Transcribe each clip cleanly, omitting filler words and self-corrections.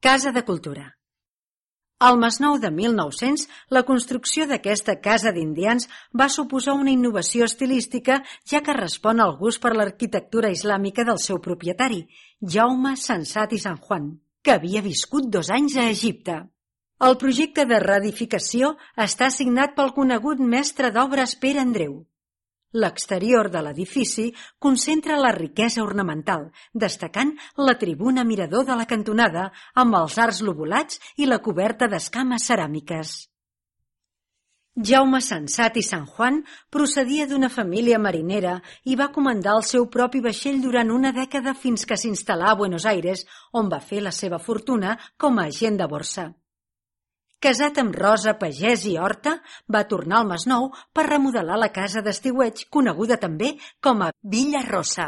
Casa de Cultura. Al Masnou de 1900, la construcció d'aquesta casa d'indians va suposar una innovació estilística, ja que respon al gust per l'arquitectura islàmica del seu propietari, Jaume Sensat i Sanjuan, que havia viscut 2 anys a Egipte. El projecte de reedificació està signat pel conegut mestre d'obres Pere Andreu. L'exterior de l'edifici concentra la riquesa ornamental, destacant la tribuna mirador de la cantonada amb els arcs lobulats i la coberta d'escames ceràmiques. Jaume Sensat i Sanjuan procedia d'una família marinera i va comandar el seu propi vaixell durant una dècada fins que s'instal·là a Buenos Aires, on va fer la seva fortuna com a agent de borsa. Casat amb Rosa Pagès i Horta, va tornar al Masnou per remodelar la casa d'estiueig, coneguda també com a Villa Rosa.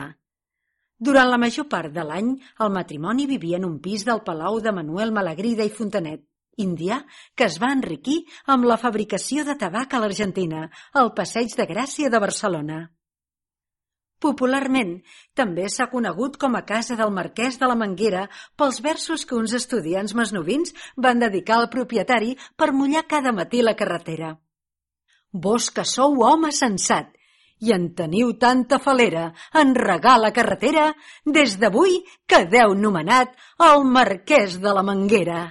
Durant la major part de l'any, el matrimoni vivia en un pis del Palau de Manuel Malagrida i Fontanet, indià, que es va enriquir amb la fabricació de tabac a l'Argentina, al Passeig de Gràcia de Barcelona. Popularment, també s'ha conegut com a Casa del Marquès de la Manguera pels versos que uns estudiants masnovins van dedicar al propietari per mullar cada matí la carretera. Vós que sou home sensat i en teniu tanta falera en regar la carretera, des d'avui quedeu nomenat el Marquès de la Manguera.